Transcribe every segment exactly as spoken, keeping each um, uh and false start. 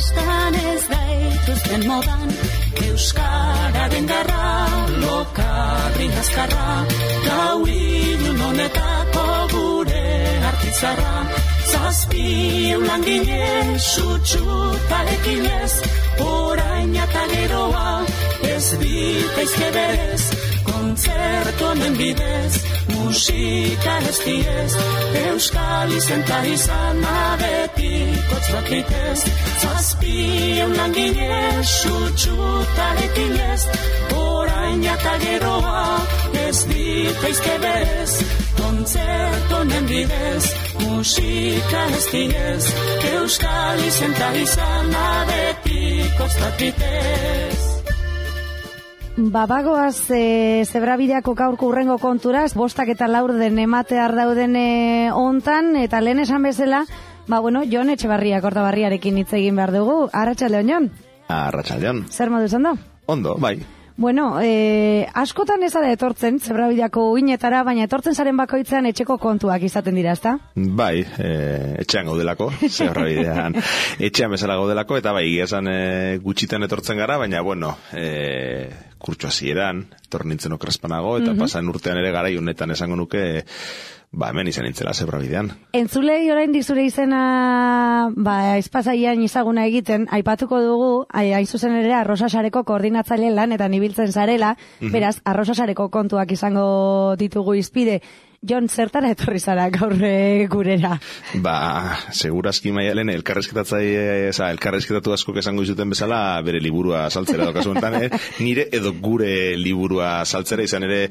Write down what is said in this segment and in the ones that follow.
kostan ez gaituzten modan, euskararen garra, lokarri azkarra, gau ilun honetako gure artizarra, zazpi eulangile sutxutarekin ez, orain eta geroa ez bitaizke berez, kontzertu honen bidez, musika ez diez, euskal izenta izan abetiko txakitez, zazpi eulangile sutxutarekin ez, orain eta geroa ez bitaizke berez, kontzertu honen bidez, musika ez diez, euskal izenta izan abetiko txakitez. Babagoaz e, zebrabideako gaurko urrengo konturaz, bostak eta laurden ematear dauden e, ontan, eta lehen esan bezala, ba bueno, Jon Etxebarria Kortabarriarekin hitz egin behar dugu. Arratsaldeon, Jon. Arratsaldeon. Zer moduz ondo? Ondo, bai. Bueno, e, askotan ez da etortzen, zebrabideako uinetara, baina etortzen zaren bakoitzean etxeko kontuak izaten dira, ezta? Bai, e, etxean gaudelako, zebrabidean etxean bezala gaudelako, eta bai, esan e, gutxitan etortzen gara, baina, bueno, e, kurtsu hasieran, etor nintzen okerrezpanago, eta mm-hmm. pasan urtean ere gara, honetan esango nuke, ba, hemen izan nintzela zebrabidean. Entzulei oraindik zure izena, ba, aizpazaian izaguna egiten, aipatuko dugu, hain zuzen ere Arrosasareko koordinatzaile lanetan ibiltzen zarela, mm-hmm. beraz, Arrosasareko kontuak izango ditugu izpide. Jon, zertara etorri zara gaur gurera? Ba, segurazki Maialen elkarrezketatzaile, eza, elkarrezketatu askok esango izuten bezala bere liburua saltzera dokazu enten, eh? Nire edo gure liburua saltzera izan ere,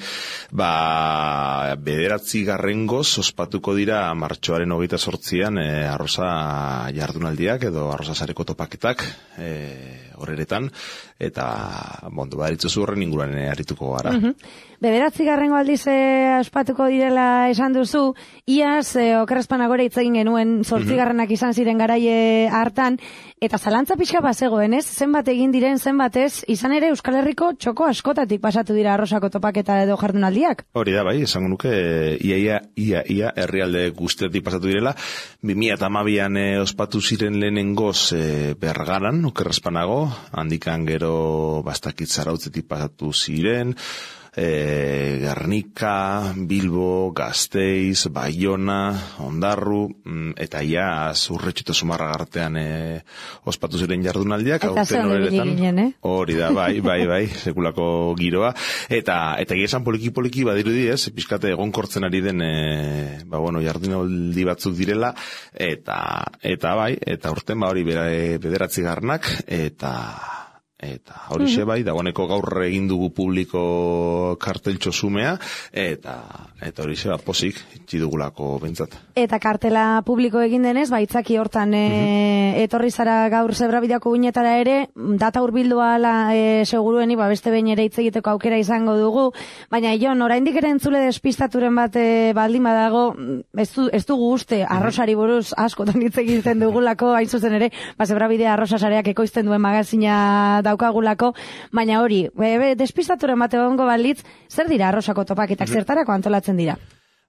ba, bederatzi garrengoz ospatuko dira martxoaren hogeita sortzian eh, arroza jardunaldiak edo arrosasareko topaketak eh, horreretan, eta bondo baritzuzu horren inguruan harrituko gara. Mm-hmm. Bederatzi garrengo aldiz eh, ospatuko direla esan duzu, iaz eh, okerrezpanagore hitz egin genuen zortzigarrenak izan ziren garaie hartan, eta zalantza pixka bazegoen, ez? Zenbat egin diren, zenbat ez, izan ere Euskal Herriko txoko askotatik pasatu dira arrosako topaketa edo jardunaldiak? Hori da, bai, esango nuke, ia, ia, ia, ia, herrialde guztiatik pasatu direla, bi mila hamabian eh, ospatu ziren lehenengoz eh, Bergaran, okerrezpanago, handikan gero bastakit Zarautzetik pasatu ziren, E, Gernika, Bilbo, Gasteiz, Baiona, Ondarru, eta ia Zurretxu eta Zumarragartean e, ospatu ziren jardunaldiak. Eta zer hori ginen, eh? Hori da, bai, bai, bai, sekulako giroa. Eta eta esan poliki-poliki badirudi ez, pizkate egonkortzen ari den, e, ba, bueno, jardunaldi batzuk direla, eta, eta bai, eta urten ba hori bederatzi garnak, eta... Eta horixe bai, dagoeneko gaur egin dugu publiko karteltxo zumea, eta eta horixe ba, posik, itxidugulako bentsat. Eta kartela publiko egin denez, baitzaki hortan e, mm-hmm. etorri zara gaur zebrabideako uinetara ere, data urbildua ala e, segurueni, ba, beste behin ere hitz egiteko aukera izango dugu, baina Jon, oraindik ere entzule despistaturen bat e, baldin badago, ez, du, ez dugu uste arrosari buruz askotan hitz egiten dugulako, hain zuzen ere, ba, zebrabidea arrosasareak ekoizten duen magazina daukagulako, baina hori, e, despistaturen bat egongo balitz, zer dira arrosako topaketak, zertarako antolatzen dira?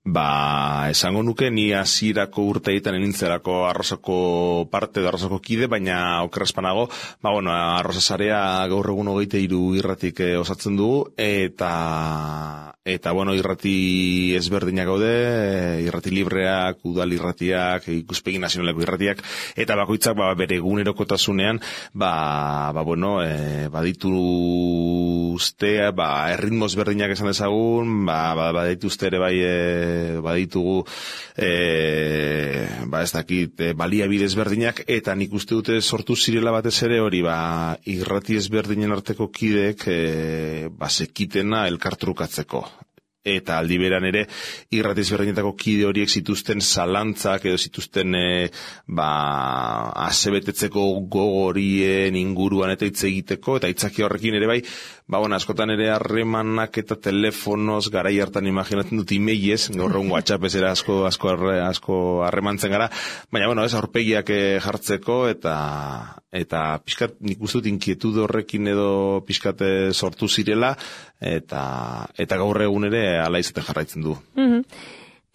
Ba, esango nuke ni hasierako urteetan enintzerako arrosako parte da arrosako kide, baina okerrezpanago, ba, bueno, arrosasarea gaur egun hogeita hiru irratik eh, osatzen dugu, eta, eta, bueno, irrati ezberdinak gaude, irrati libreak, udal irratiak, ikuspegi nazionaleko irratiak, eta bakoitzak, ba, bere egunerokotasunean, ba, ba, bueno, e, baditu ustea, ba, erritmo ezberdinak esan dezagun, ba, ba, baditu uste ere bai, e, baditugu e, ba ez dakit e, baliabide ezberdinak, eta nik uste dute sortu zirela batez ere hori ba irrati ezberdinen arteko kideek e, ba sekitena elkartrukatzeko. Eta aldi beran ere irrati ezberdinetako kide horiek zituzten zalantzak edo zituzten e, ba asebetetzeko gogorien inguruan eta hitz egiteko, eta hitzaki horrekin ere bai, ba bueno, askotan ere harremanak eta telefonoz garai hartan imaginatzen dut emailez, gaur egun WhatsApp ez era asko asko asko harremantzen gara, baina bueno, ez aurpegiak jartzeko eta eta pixkat nik uste dut inkietude horrekin edo pixkat sortu zirela, eta eta gaur egun ere ala izaten jarraitzen du. Mm-hmm.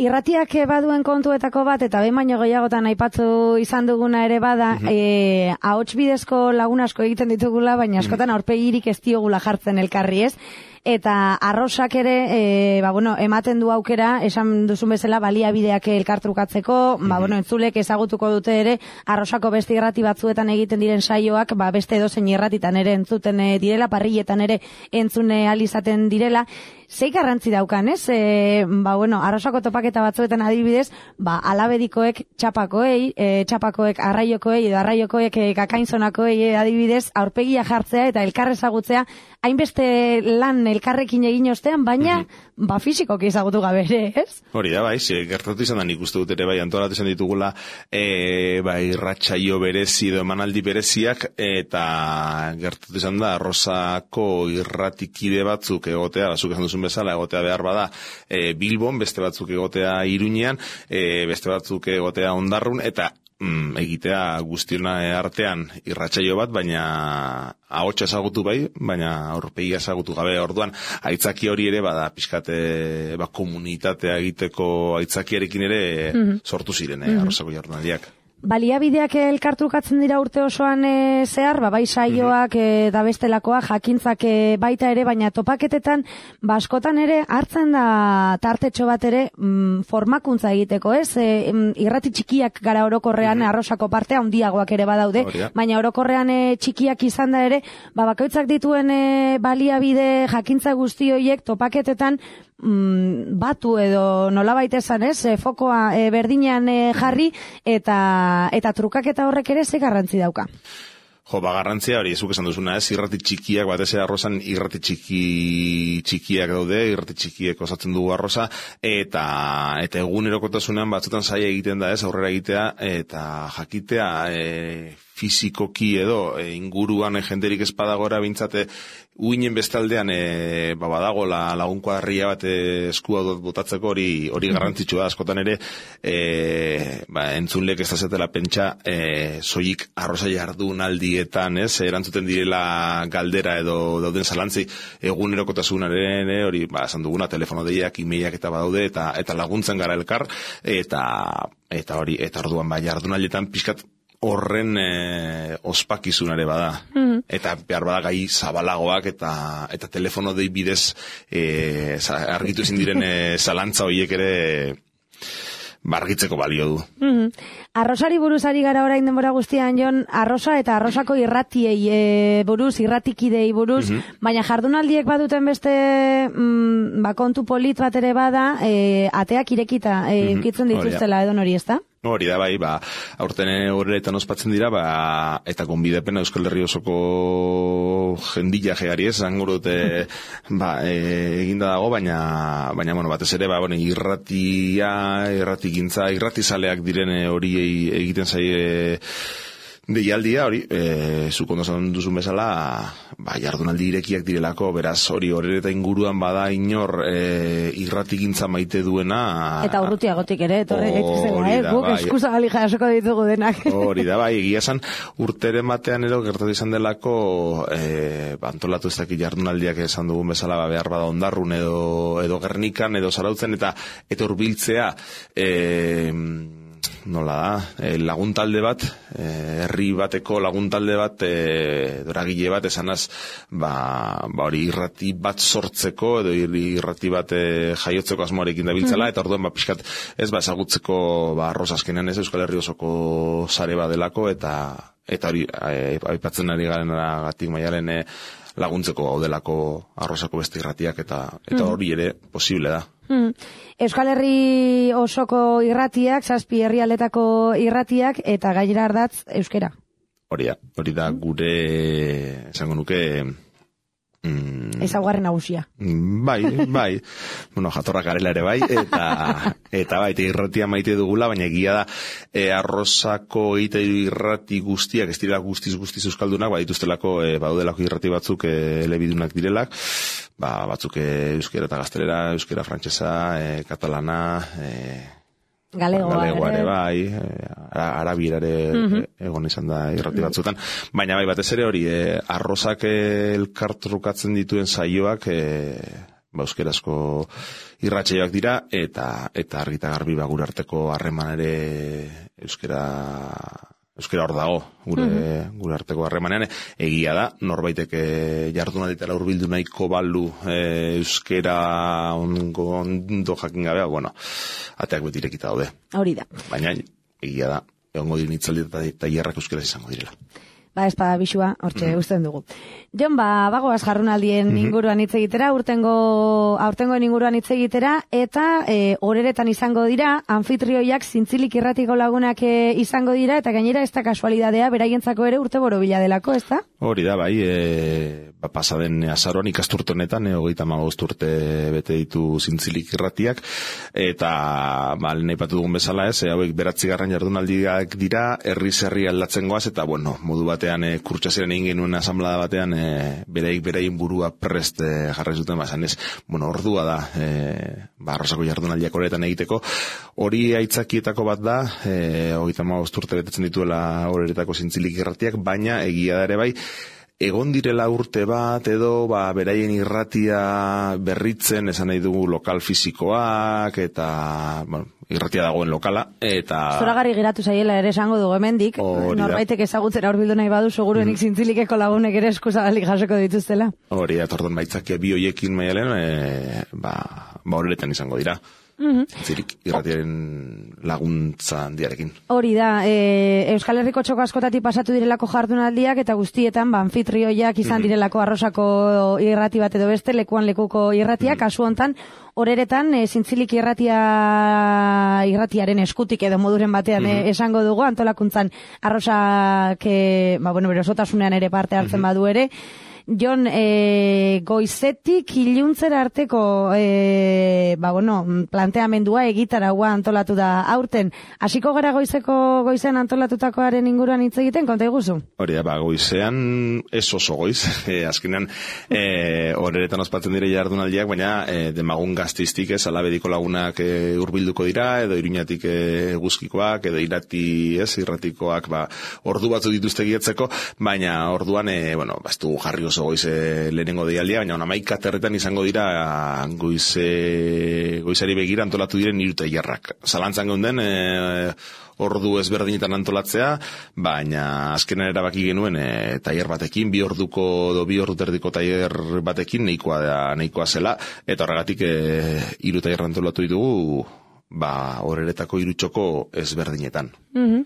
Irratiak baduen kontuetako bat, eta behin baino gehiagotan aipatu izan duguna ere bada, mm -hmm. e, ahots bidezko lagun asko egiten ditugula, baina askotan aurpegirik ez diogula jartzen elkarri, ez? Eta arrosak ere, e, ba, bueno, ematen du aukera, esan duzun bezala, baliabideak elkartrukatzeko, ba, bueno, entzulek ezagutuko dute ere, arrosako beste irrati batzuetan egiten diren saioak, ba, beste edozein irratitan ere entzuten direla, parrilletan ere entzune alizaten direla. Zei garrantzi daukan, ez? E, ba, bueno, arrosako topaketa batzuetan adibidez, ba, alabedikoek txapakoei, e, txapakoek arraiokoei, edo arraiokoek e, kakainzonakoei e, adibidez, aurpegia jartzea eta elkar ezagutzea, hainbeste lan elkarrekin egin ostean, baina, mm -hmm. ba, fizikoki ezagutu gabe ere, ez? Hori da, bai, ze, gertatu izan da nik uste dut ere, bai, antolatu izan ditugula, e, bai, irratsaio berezi edo emanaldi bereziak, eta gertatu izan da, arrosako irratikide batzuk egotea, bazuk esan duzun bezala, egotea behar bada, e, Bilbon, beste batzuk egotea Iruñean, e, beste batzuk egotea Ondarrun, eta mm, egitea guztiona artean irratsaio bat, baina ahotsa ezagutu bai, baina aurpegia ezagutu gabe. Orduan, aitzaki hori ere bada pixkate, ba, komunitatea egiteko aitzakiarekin ere mm -hmm. sortu ziren, eh, arrosako jardunaldiak. Baliabideak elkartrukatzen dira urte osoan e, zehar, ba, bai saioak e, da bestelakoa, jakintzak e, baita ere, baina topaketetan, ba, askotan ere, hartzen da tartetxo bat ere mm, formakuntza egiteko, ez? E, irrati txikiak gara orokorrean, mm -hmm. arrosako parte, handiagoak ere badaude, Oria. baina orokorrean e, txikiak izan da ere, ba, bakoitzak dituen e, baliabide jakintza guzti horiek topaketetan, Mm, batu edo nolabait esan, ez, e, fokoa e, berdinean e, jarri eta eta trukaketa horrek ere ze garrantzi dauka. Jo, ba, garrantzia hori, ezuk esan duzuna, ez, irrati txikiak, batez ere arrosan irrati txiki txikiak daude, irrati txikiek osatzen dugu arrosa, eta eta egunerokotasunean batzutan zaila egiten da, ez, aurrera egitea, eta jakitea, e, fizikoki edo e, inguruan e, jenderik espadagora bintzate uinen bestaldean e, ba, badago la, lagun kuadrilla bat e, eskua botatzeko hori hori garrantzitsua da, askotan ere e, ba, entzunlek ez da zetela pentsa e, soilik arrosa jardunaldietan, ez, erantzuten direla galdera edo dauden zalantzi egunerokotasunaren e, hori, ba, esan duguna, telefono deiak, imeiak eta badaude, eta eta laguntzen gara elkar, eta eta hori, eta orduan, ba, jardunaldietan pixkat horren e, ospakizunare bada. Mm-hmm. Eta behar bada gai zabalagoak eta eta telefono dei bidez e, argitu ezin diren e, zalantza horiek ere bargitzeko balio du. Mm-hmm. Arrosari buruzari gara orain denbora guztian, Jon, arrosa eta arrosako irratiei e, buruz, irratikidei buruz, mm-hmm. baina jardunaldiek baduten beste mm, ba, kontu polit bat ere bada, e, ateak irekita e, mm-hmm. kitzen dituztela edo nori, ez da? Hori da, bai, ba, aurten horretan ospatzen dira, ba, eta gonbidapena Euskal Herri osoko jendila jegari ez, zango dute, ba, e, eginda dago, baina, baina, bueno, batez ere, ba, bueno, irratia, irratigintza, irratizaleak direne hori egiten zaie deialdia, hori, e, zuk ondo zan duzun bezala, ba, jardunaldi irekiak direlako, beraz, hori hori eta inguruan bada inor e, irratigintza maite duena. Eta urrutiagotik ere, torre gaitzizela, eh? Guk eskusa gali jasoko ditugu denak. Hori da, bai, egia esan, urteren batean ero gertatu izan delako, e, antolatu ez dakit jardunaldiak esan dugun bezala, ba, behar bada Ondarrun edo, edo Gernikan, edo Zarautzen, eta eta hurbiltzea, e, nola da, e, laguntalde bat, e, herri bateko laguntalde bat, e, doragile bat, esanaz, ba, ba hori irrati bat sortzeko, edo irrati bat e, jaiotzeko asmoarekin dabiltzala, eta orduan, ba, pixkat, ez, ba, ezagutzeko, ba, arroz azkenean ez, Euskal Herri osoko sare badelako, eta, eta hori, aipatzen ari garen gatik maialen, e, laguntzeko gaudelako arrozako beste irratiak, eta, eta hori ere posible da. Hmm. Euskal Herri osoko irratiak, zazpi herrialdetako irratiak, eta gainera ardatz euskera. Hori da, hori da gure, esango nuke, mm, ezaugarri nagusia. Bai, bai, bueno, jatorrak garela ere bai, eta, eta bai, eta irratia maite dugula, baina egia da, e, arrozako eta irrati guztiak, ez direla guztiz guztiz euskaldunak, badituztelako, e, baudelako irrati batzuk e, elebidunak direlak, ba, batzuk e, euskera eta gaztelera, euskera frantsesa, e, katalana, e, Galegoa, Galegoa ere bai, e, arabierare mm-hmm. egon izan da irrati batzutan, baina bai batez ere hori, e, arrozak elkartrukatzen dituen saioak, e, ba, euskerazko irratsaioak dira, eta eta argi eta garbi ba, gure arteko harreman ere euskera euskera hor dago, gure, mm-hmm. gure arteko harremanean, egia da, norbaitek jardunalditara hurbildu nahiko balu e, euskera ondo, ondo jakin gabea, bueno, ateak beti irekita daude. Hori da. Baina, egia da, egongo diren hitzaldi eta tailerrak euskeraz izango direla. Ba, espada bisua, hortxe, mm-hmm. usten dugu. Jon, ba, bagoaz jarrunaldien mm-hmm. inguruan hitz egitera, urtengo, aurtengoen inguruan hitz egitera, eta e, horeretan izango dira, anfitrioiak zintzilik irratiko lagunak e, izango dira, eta gainera ez da kasualidadea, beraientzako ere urte borobila delako, ez da? Hori da, bai, e, ba, pasaden azaroan ikasturtonetan, e, hogeita hamabost urte bete ditu zintzilik irratiak, eta, ba, nahi patu dugun bezala ez, e, hauek beratzigarren jardunaldiak dira, herri-zerri aldatzen goaz, eta, bueno, modu batean e, kurtsaziren egin genuen asamblada batean e, bereik berein burua prest e, jarri zuten, ba, ez, bueno, ordua da e, ba, arrosako jardunaldiak horretan egiteko, hori aitzakietako bat da, e, hogeita hamabost urte betetzen dituela horeretako zintzilik irratiak, baina egia da ere bai, egon direla urte bat edo ba, beraien irratia berritzen, esan nahi dugu lokal fisikoak, eta bueno, irratia dagoen lokala, eta... Zoragarri geratu zaiela ere esango dugu hemendik, norbaitek ezagutzen aurbildu nahi badu, seguruenik mm. zintzilikeko lagunek ere eskuzagalik jasoko dituztela. Hori, eta orduan baitzakia bi hoiekin maialen, e, ba, ba horretan izango dira. Mm-hmm. Zirik, irratiaren laguntza handiarekin. Hori da, e, Euskal Herriko txoko askotati pasatu direlako jardunaldiak eta guztietan ba, anfitrioiak izan mm-hmm. direlako arrosako irrati bat edo beste, lekuan lekuko irratiak, mm-hmm. kasu hontan, horeretan e, zintzilik irratia irratiaren eskutik edo moduren batean mm-hmm. e, esango dugu, antolakuntzan arrosak, e, ba, bueno, bere osotasunean ere parte hartzen mm-hmm. badu ere, Jon, e, goizetik iluntzera arteko e, ba, bueno, planteamendua egitaragua antolatu da aurten. Hasiko gara goizeko goizean antolatutakoaren inguruan hitz egiten, konta iguzu? Hori da, ba, goizean ez oso goiz. E, azkenean, e, horeretan ospatzen dire jardunaldiak, baina e, demagun gaztiztik ez, alabediko lagunak e, urbilduko dira, edo iruñatik e, guzkikoak, edo irati ez, irratikoak, ba, ordu batzu dituzte gietzeko, baina orduan, e, bueno, baztu jarri oso goize lehenengo deialdia, baina hamaika terretan izango dira goize, goizari begira antolatu diren hiru tailerrak. Zalantzan geunden, e, ordu ezberdinetan antolatzea, baina azkenan erabaki genuen e, tailer batekin, bi orduko do bi ordu terdiko tailer batekin nahikoa da, nahikoa zela, eta horregatik e, hiru tailer antolatu ditugu, ba, horeretako hiru txoko ezberdinetan. Mhm.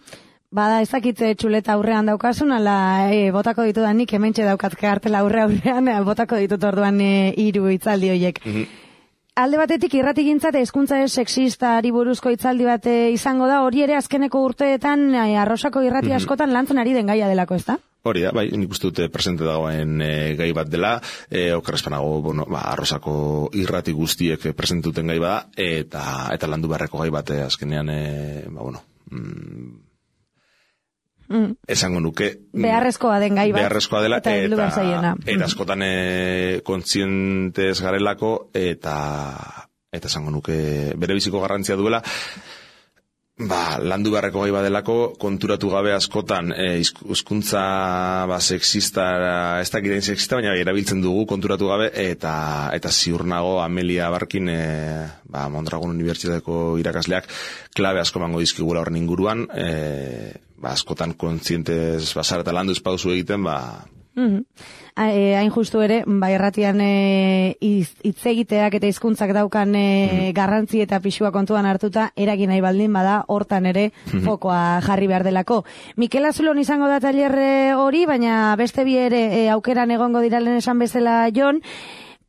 Bada, ezakitze txuleta aurrean daukasun, ala e, botako ditudan nik hementxe daukat kartela aurre aurrean, e, botako ditut orduan hiru e, hitzaldi horiek. Mm-hmm. Alde batetik irratigintza eta hezkuntza ez sexistari buruzko hitzaldi bat izango da, hori ere azkeneko urteetan e, arrosako irrati mm-hmm. askotan lantzen ari den gaia delako, ezta? Hori da, bai, nik uste dute presente dagoen e, gai bat dela, e, okerrezpanago, bueno, ba, arrosako irrati guztiek presente duten gai bada, eta, eta landu beharreko gai bat, e, azkenean, e, ba, bueno, mm, Mm. esango nuke beharrezkoa den gai bat beharrezkoa dela eta, eta, eta, eta askotan e, kontzientez garelako eta eta esango nuke bere biziko garrantzia duela, ba, landu beharreko gai badelako, konturatu gabe askotan hizkuntza e, ba, sexista, ez dakiten sexista, baina erabiltzen dugu konturatu gabe, eta eta ziur nago Amelia Barkin, e, ba, Mondragon Unibertsitateko irakasleak klabe asko emango dizkigula horren inguruan, e, ba, askotan kontzientez basara eta landu espauzu egiten, ba... Mm-hmm. Hain justu ere, ba, erratian e, hitz egiteak eta hizkuntzak daukan e, mm-hmm. garrantzi eta pixua kontuan hartuta, eragin nahi baldin bada, hortan ere mm-hmm. fokoa jarri behar delako. Mikel Azulon izango da tailer hori, baina beste bi ere e, aukeran egongo diralen esan bezala Jon,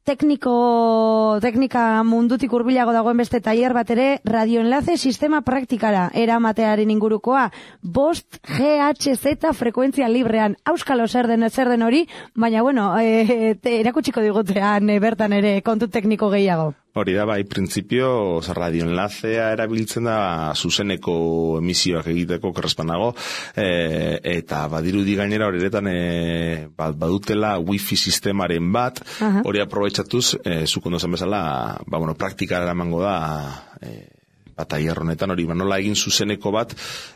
tekniko, teknika mundutik hurbilago dagoen beste tailer bat ere, radioenlace sistema praktikara eramatearen ingurukoa, bost G H Z frekuentzia librean, auskalo zer den zer den hori, baina bueno, e, erakutsiko digutean e, bertan ere kontu tekniko gehiago. Hori da, bai, printzipio, radioenlacea erabiltzen da zuzeneko emisioak egiteko korrespanago, e, eta badirudi gainera horretan e, badutela wifi sistemaren bat, hori aprobetxatuz, e, zuk ondo zen bezala, ba, bueno, praktikara eramango da, e, ba, tailer honetan hori, ba, nola egin zuzeneko bat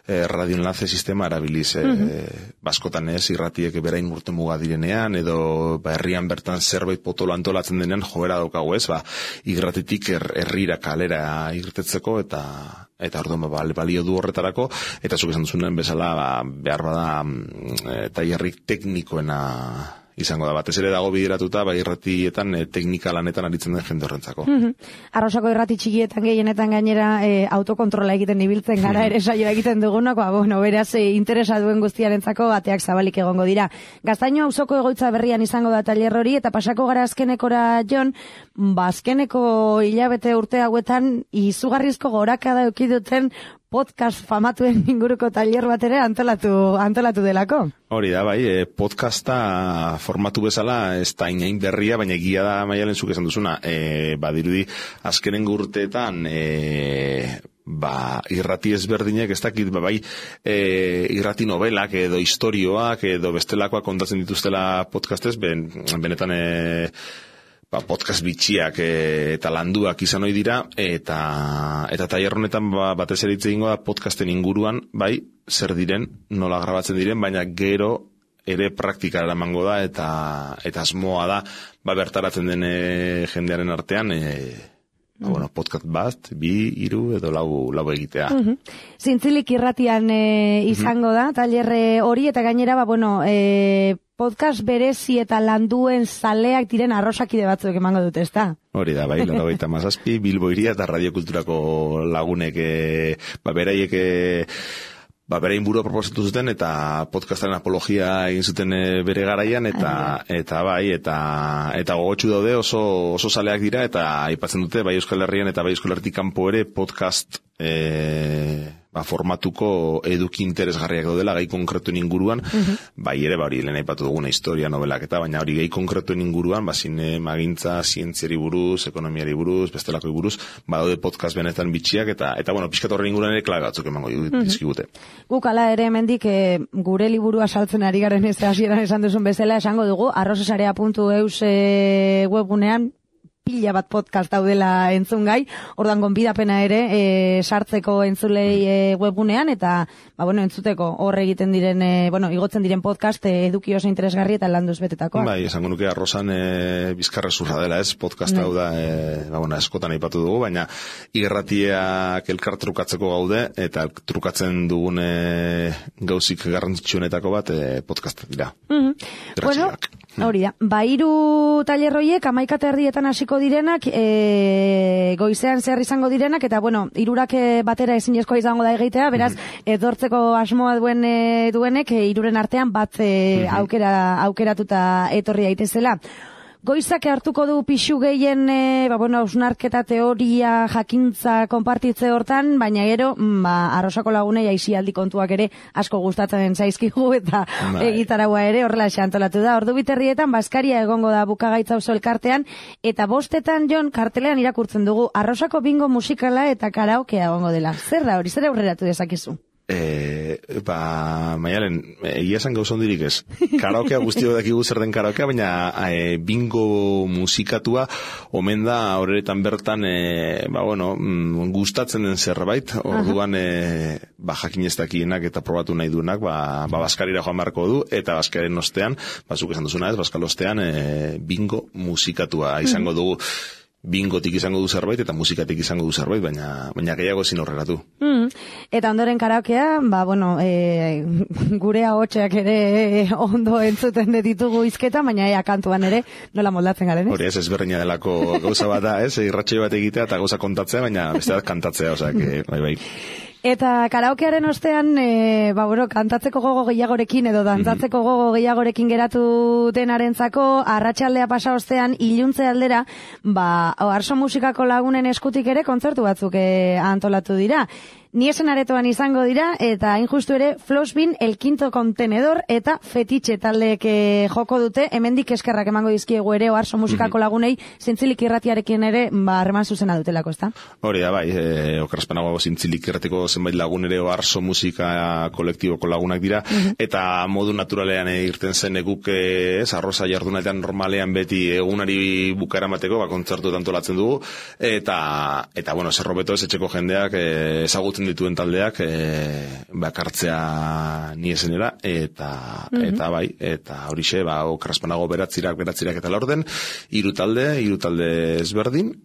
eh, radioenlace sistema erabiliz, eh, mm-hmm. baskotan ez, irratiek berain urte muga direnean, edo ba, herrian bertan zerbait potolo antolatzen denean joera daukagu ez, ba, irratitik er, herrira kalera irtetzeko, eta eta orduan ba, balio du horretarako, eta zuk esan duzuen bezala ba, behar bada e, tailerrik teknikoena izango da, batez ere dago bideratuta, ba, irratietan e, teknika lanetan aritzen den jende horrentzako. Mm-hmm. Arrosako irrati txikietan gehienetan gainera e, autokontrola egiten ibiltzen gara, ere saioa egiten dugunak, ba, bueno, beraz, e, interesa duen guztiarentzako bateak zabalik egongo dira. Gaztaino auzoko egoitza berrian izango da tailer hori, eta pasako gara azkenekora, Jon, ba, azkeneko hilabete urte hauetan, izugarrizko gorakada eduki duten podcast famatuen inguruko tailer bat ere antolatu, antolatu delako. Hori da, bai, e, podcasta formatu bezala ez da inain berria, baina egia da Maialen zuk esan duzuna, e, badirudi azkenen urteetan e, ba, irrati ezberdinek ez dakit, ba, bai, e, irrati novelak edo istorioak edo bestelakoak kontatzen dituztela podcastez, ben, benetan e, ba, podcast bitxiak e, eta landuak izan ohi dira, eta eta tailer honetan ba, batez ere hitz egingo da podcasten inguruan, bai, zer diren, nola grabatzen diren, baina gero ere praktikara eramango da, eta eta asmoa da, ba, bertaratzen den e, jendearen artean, e, ba, bueno, podcast bat, bi, hiru edo lau, lau egitea. Uh-huh. Zintzilik irratian e, izango uh-huh. da, tailer hori, eta gainera, ba, bueno, e, podcast berezi eta landuen zaleak diren arrosakide batzuk emango dute, ezta? Hori da, bai, laurogeita hamazazpi, Bilbo Hiria eta Radiokulturako lagunek, e, ba, beraiek, e, ba, berain burua proposatu zuten, eta podcastaren apologia egin zuten e, bere garaian, eta, eta bai, eta, eta gogotsu daude oso, oso zaleak dira, eta aipatzen dute, bai Euskal Herrian eta bai Euskal Herritik kanpo ere podcast, e, ba, formatuko eduki interesgarriak daudela gai konkretuen inguruan, uh-huh. bai ere, ba, hori lehen aipatu duguna historia, novelak eta, baina hori gai konkretuen inguruan, ba, zinemagintza, zientziari buruz, ekonomiari buruz, bestelako buruz, ba, daude podcast benetan bitxiak, eta, eta bueno, pixkat horren inguruan ere klabe batzuk emango dizkigute. Uh-huh. Guk ala ere hemendik e, gure liburua saltzen ari garen ez hasieran esan duzun bezala, esango dugu, arrosesarea puntu eus e, webgunean, pila bat podcast daudela entzungai, ordan gonbidapena ere e, sartzeko entzulei e, webgunean, eta ba, bueno, entzuteko hor egiten diren, e, bueno, igotzen diren podcast e, eduki oso interesgarri eta landuz betetakoa. Bai, esango nuke arrosan e, bizkarrezurra dela, ez, podcast hau da, e, ba, bueno, eskotan aipatu dugu, baina irratiak elkar trukatzeko gaude, eta trukatzen dugun e, gauzik garrantzitsuenetako bat e, podcast dira. Mm-hmm. Bueno, hori da, ba, hiru tailerroiek amaika erdietan hasiko direnak, e, goizean zehar izango direnak, eta bueno, hirurak batera ezinezkoa izango da egitea, beraz, mm-hmm. edortzeko asmoa duen e, duenek, e, hiruren artean bat e, mm-hmm. aukera, aukeratuta etorri daitezela. Goizak hartuko du pixu gehien, e, ba, bueno, ausnarketa, teoria, jakintza, konpartitze hortan, baina gero, ba, arrosako lagunei aisialdi kontuak ere asko gustatzen zaizkigu, eta egitaragua ere horrela antolatu da. Ordu biterrietan, Baskaria egongo da bukagaitza oso elkartean, eta bostetan, Jon, kartelean irakurtzen dugu, arrosako bingo musikala eta karaokea egongo dela. Zer da hori, zer aurreratu dezakezu? E, ba, Maialen, egia esan gauza hondirik ez. Karaokea guztio dakigu zer den karaokea, baina e, bingo musikatua omen da horretan bertan, e, ba, bueno, mm, gustatzen den zerbait, orduan, e, ba, jakin ez dakienak eta probatu nahi duenak, ba, ba Baskarira joan marko du, eta Baskaren ostean, bazuk esan duzuna ez, Baskal ostean, e, bingo musikatua izango dugu. Bingotik izango du zerbait eta musikatik izango du zerbait, baina baina gehiago ezin horreratu. Mm. Eta ondoren karaokea, ba, bueno, e, gure ahotsak ere ondo entzuten ditugu hizketa, baina ea kantuan ere nola moldatzen garen, ez? Hori ez, ezberdina delako gauza bat da, ez? Irratsaio bat egitea eta gauza kontatzea, baina beste bat kantatzea, osea, que bai bai. Eta karaokearen ostean, e, ba, bueno, kantatzeko gogo gehiagorekin edo dantzatzeko gogo gehiagorekin geratu denarentzako, arratsaldea pasa ostean, iluntze aldera, ba, Oarso musikako lagunen eskutik ere kontzertu batzuk e, antolatu dira. Niesen aretoan izango dira, eta hain justu ere, Flosbin, El Quinto Contenedor, eta Fetiche taldeek joko dute, hemendik eskerrak emango dizkiegu ere, oarso musikako lagunei, zintzilik irratiarekin ere, ba, harreman zuzena dutelako, ezta? Hori da, bai, e, okerazpanago zintzilik irratiko zenbait lagun ere, oarso musika kolektiboko lagunak dira, eta modu naturalean e, irten zen eguk, ez, arroza jardunatean normalean beti egunari bukara mateko, ba, kontzertu antolatzen dugu, eta, eta bueno, zerrobeto ez etxeko jendeak, e, ezagutzen dituen taldeak e, bakartzea niesenera eta mm-hmm. eta bai eta horixe ba okerrazpanago beratzirak beratzirak eta laurden hiru talde hiru talde ezberdin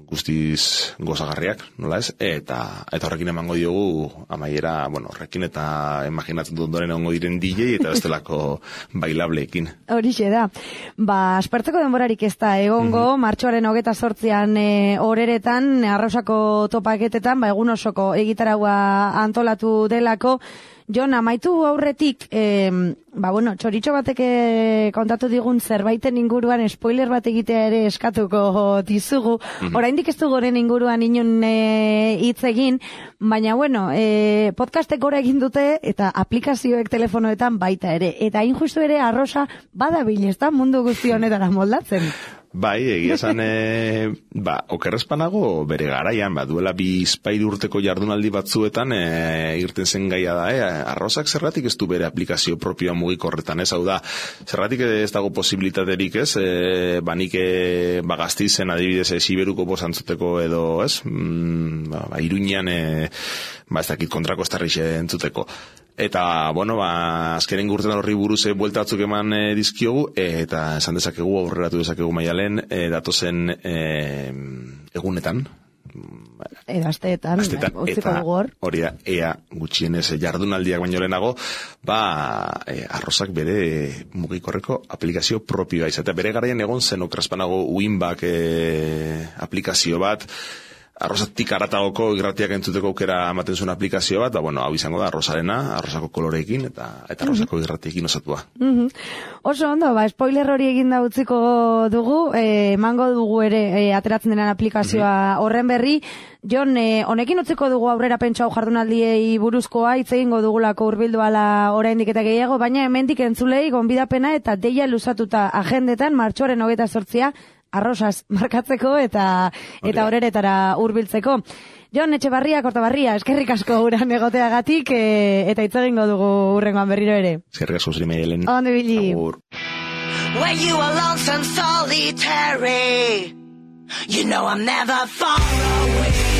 guztiz gozagarriak, nola ez? Eta eta horrekin emango diogu amaiera, bueno, horrekin eta imaginatzen dut ondoren egongo diren D J eta bestelako bailableekin. Horixe da. Ba, aspertzeko denborarik ez da egongo, mm-hmm. martxoaren hogeita zortzian e, horeretan, arrausako topaketetan, ba, egun osoko egitaraua antolatu delako. Jon, amaitu aurretik, eh, ba, bueno, txoritxo batek kontatu digun zerbaiten inguruan spoiler bat egitea ere eskatuko dizugu. Mm-hmm. Oraindik ez du goren inguruan inun hitz e, egin, baina, bueno, e, podcastek gora egin dute eta aplikazioek telefonoetan baita ere. Eta hain justu ere arrosa badabil, ez da mundu guzti honetara moldatzen. Bai, egia esan, e, ba, okerrezpanago bere garaian, ba, duela bi izpairu urteko jardunaldi batzuetan e, irten zen gaia da, e, arrozak zerratik ez du bere aplikazio propioa mugikorretan, ez, hau da, zerratik ez dago posibilitaterik, ez, e, ba, nik e, ba, gaztizen adibidez e, Siberuko bosantzuteko edo, ez, mm, ba, ba, Iruñean, e, ba, ez dakit kontrako estarrixe entzuteko. Eta, bueno, ba, azkenen gurten horri buruz e, buelta batzuk eman e, dizkiogu, e, eta esan dezakegu, aurreratu dezakegu maialen, e, datozen e, egunetan. Edo asteetan, utziko dugu hor. Hori da, ea gutxienez jardunaldiak baino lehenago, ba, e, arrozak bere mugikorreko aplikazio propioa izatea. Bere garaian egon zen okerrazpanago Winback e, aplikazio bat, arrozatik aratagoko irratiak entzuteko aukera ematen zuen aplikazio bat, da, bueno, hau izango da, arrozarena, arrozako koloreekin, eta eta arrozako mm-hmm. irratiekin osatua. Mm-hmm. Oso ondo, ba, spoiler hori egin da utziko dugu, eh, emango dugu ere eh, ateratzen denan aplikazioa mm-hmm. horren berri. Jon, eh, honekin utziko dugu aurrera pentsau jardunaldiei buruzkoa, hitz egingo dugulako hurbildu ala oraindik eta gehiago, baina hemendik entzulei gonbidapena eta deia luzatuta agendetan, martxoaren hogeita zortzia, arrosaz markatzeko eta eta horeretara hurbiltzeko. Jon Etxebarria, Kortabarria, eskerrik asko uran egoteagatik e, eta hitz egingo dugu hurrengoan berriro ere. Eskerrik asko zuri mailen. Ondo ibili. When you are lonesome, solitary, you know I'm never far away.